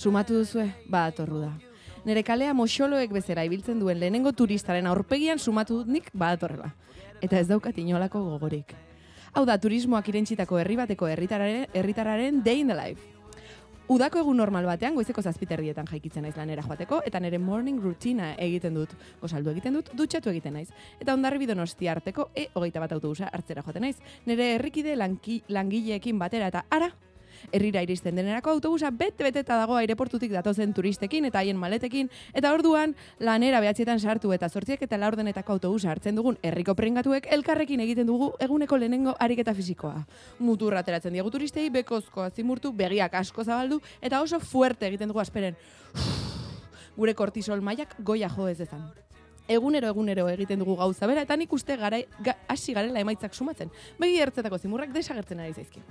Sumatu duzue, badatorru da. Nere kalea moxoloek bezera ibiltzen duen lehenengo turistaren aurpegian sumatu dut nik badatorrela. Eta ez daukat inolako gogorik. Hau da, turismoak irentsitako herri bateko herritarraren day in the life. Udako egun normal batean goizeko 7:00 jaikitzen naiz lanera joateko eta nere morning rutina egiten dut. Gosaldu egiten dut, dutxatu egiten naiz. Eta Hondarribia Donostia arteko E21 autobusa hartzera joaten naiz. Nere herrikide langileekin batera eta ara, herrira iristen denerako autobusa bete-beteta dago aireportutik datozen turistekin eta haien maletekin, eta orduan lanera 9:00 sartu eta 8:04 autobusa hartzen dugun herriko pringatuek elkarrekin egiten dugu eguneko lehenengo ariketa fisikoa. Muturra ateratzen diegu turistei, bekozkoa zimurtu, begiak asko zabaldu eta oso fuerte egiten dugu asperen. Gure kortisol mailak goia jo ez dezan. Egunero egiten dugu gauza bera eta nik uste hasi garela emaitzak sumatzen. Begi ertzetako zimurrak desagertzen ari zaizkigu.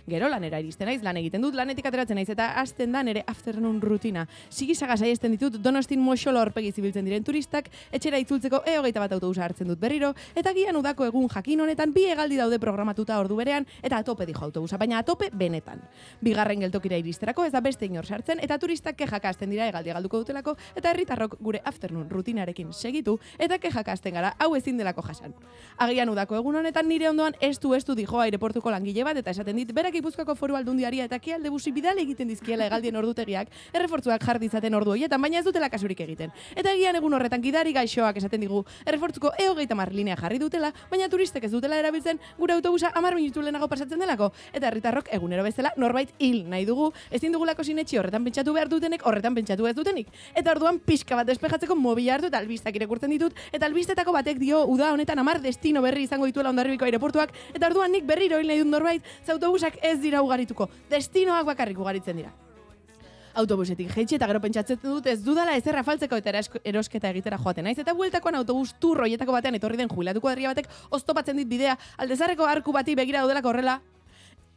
Gero lanera iristen naiz, lan egiten dut, lanetik ateratzen naiz eta hasten da nere afternoon rutina. Sigisaga saiesten ditut Donostin moxolo aurpegi zibiltzen diren turistak, etxera itzultzeko E21 autobusa hartzen dut berriro, eta gian udako egun jakin honetan bi hegaldi daude programatuta ordu berean, eta atope dijo autobusa, baina atope benetan. Bigarren geltokira iristerako ez da beste inor sartzen, eta turistak kexaka hasten dira hegaldi galduko dutelako, eta herritarrok gure afternoon rutinarekin segitu, eta kexaka hasten gara, hau ezin delako jasan. Agian udako egun honetan nire ondoan estu dijo aireportuko langile bat, eta esaten dit, berak Gipuzkoako Foru Aldundiari eta Kialde Busi bidale egiten dizkiela hegaldien ordutegiak, errefortzuak jar ditzaten ordu horietan, baina ez dutela kasurik egiten. Eta egian egun horretan gidari gaixoak esaten digu, errefortzuko E30 linea jarri dutela, baina turistek ez dutela erabiltzen gure autobusa 10 minutu lehenago pasatzen delako. Eta herritarrok egunero bezala norbait hil nahi dugu, ezin dugulako sinetxi horretan pentsatu behar dutenek, horretan pentsatu ez dutenik. Eta orduan pixka bat despejatzeko mobila hartu eta albistak irakurtzen ditut, eta albistetako batek dio uda honetan 10 destino berri izango dituela Hondarribiko aireportuak, eta orduan nik berriro hil nahi dut norbait, ze autobusak ez dira ugarituko, destinoak bakarrik ugaritzen dira. Autobusetik jaitsi eta gero pentsatzen dut ez dudala ezerra faltzeko eta erosketa egitera joaten naiz, eta bueltakoan autobus tour hoietako batean etorri den jubilatu kuadrilla batek oztopatzen dit bidea Aldezarreko arku bati begira daudelako horrela,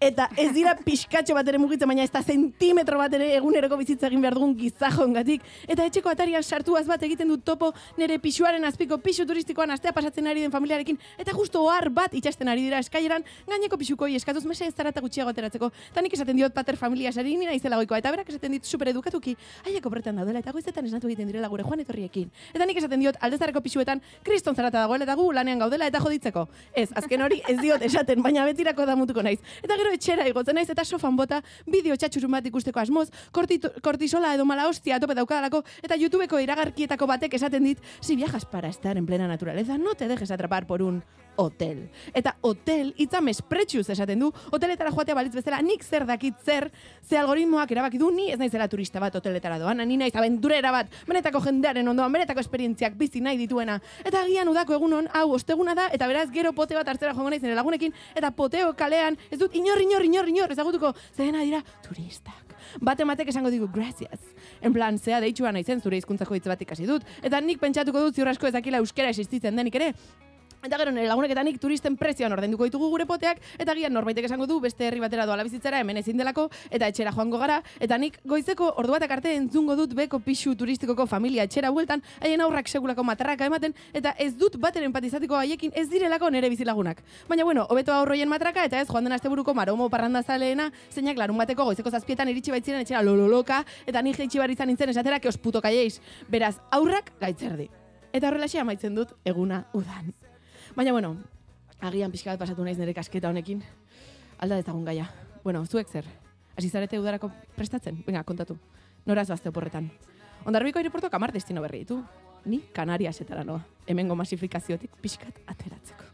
eta ez dira pixkatxo bat ere mugitzen, baina ez da zentimetro bat ere eguneroko bizitza egin behar dugun gizajongatik. Eta etxeko atarian sartuaz bat egiten dut topo nire pisuaren azpiko pisu turistikoan astea pasatzen ari den familiarekin, eta justo ohar bat itxasten ari dira eskaileran gaineko pisukoi eskatuz mesa ez zarata gutxiago ateratzeko. Eta nik esaten diot pater familia sari nina izela goikoa, eta berak esaten dit superedukatuki, haiek obretan daudela eta goizetan esnatu egiten direla gure joan etorriekin. Eta nik esaten diot Aldezarreko pisuetan kriston zarata dagoela eta gu lanean gaudela eta joditzeko. Ez, azken hori ez diot esaten, baina betirako damutuko naiz. Eta gero etxera igotzen naiz eta sofan bota bideo txatxurun bat ikusteko asmoz, kortisola edo mala hostia tope daukadalako, eta YouTubeko iragarkietako batek esaten dit, si viajas para estar en plena naturaleza, no te dejes atrapar por un hotel. Eta hotel hitza mespretxuz esaten du, hoteletara joatea balitz bezala nik zer dakit zer, ze algoritmoak erabaki du ni ez naizela turista bat hoteletara doan, ni naiz abenturera bat, benetako jendearen ondoan, benetako esperientziak bizi nahi dituena. Eta agian udako egunon, hau osteguna da, eta beraz gero pote bat hartzera joango naiz nire lagunekin, eta poteo kalean, ez dut inor ezagutuko, zerena dira turistak. Batek esango digu, gracias. En plan, zea deitxua naizen zure hizkuntzako hitz bat ikasi dut. Eta nik pentsatuko dut ziur asko ez dakila euskera existitzen denik ere. Eta gero nire lagunek eta nik turisten prezioan ordainduko ditugu gure poteak, eta gian norbaitek esango du beste herri batera doala bizitzera hemen ezin delako, eta etxera joango gara, eta nik goizeko ordu batak arte entzungo dut beko pisu turistikoko familia etxera bueltan, haien aurrak segulako matarraka ematen, eta ez dut bater empatizatiko haiekin ez direlako nire bizilagunak. Baina bueno, hobeto aurroien matraka, eta ez joan den asteburuko maromo parrandazaleena, zeinak larun bateko goizeko 7:00 iritsi baitziren etxera lololoka, eta nik jaitsi behar izan nintzen esatera que os puto kaieiz. Beraz, aurrak gaitzerdi. Eta horrelaxe amaitzen dut eguna udan. Baina, bueno, agian pixka bat pasatu naiz nire kasketa honekin. Alda dezagun gaia. Bueno, zuek zer? Hasi zarete udarako prestatzen? Venga, kontatu. Nora zoazte oporretan. Hondarribiko aireportuak 10 destino berri ditu. Ni Kanariasetara noa. Hemengo masifikaziotik pixkat ateratzeko.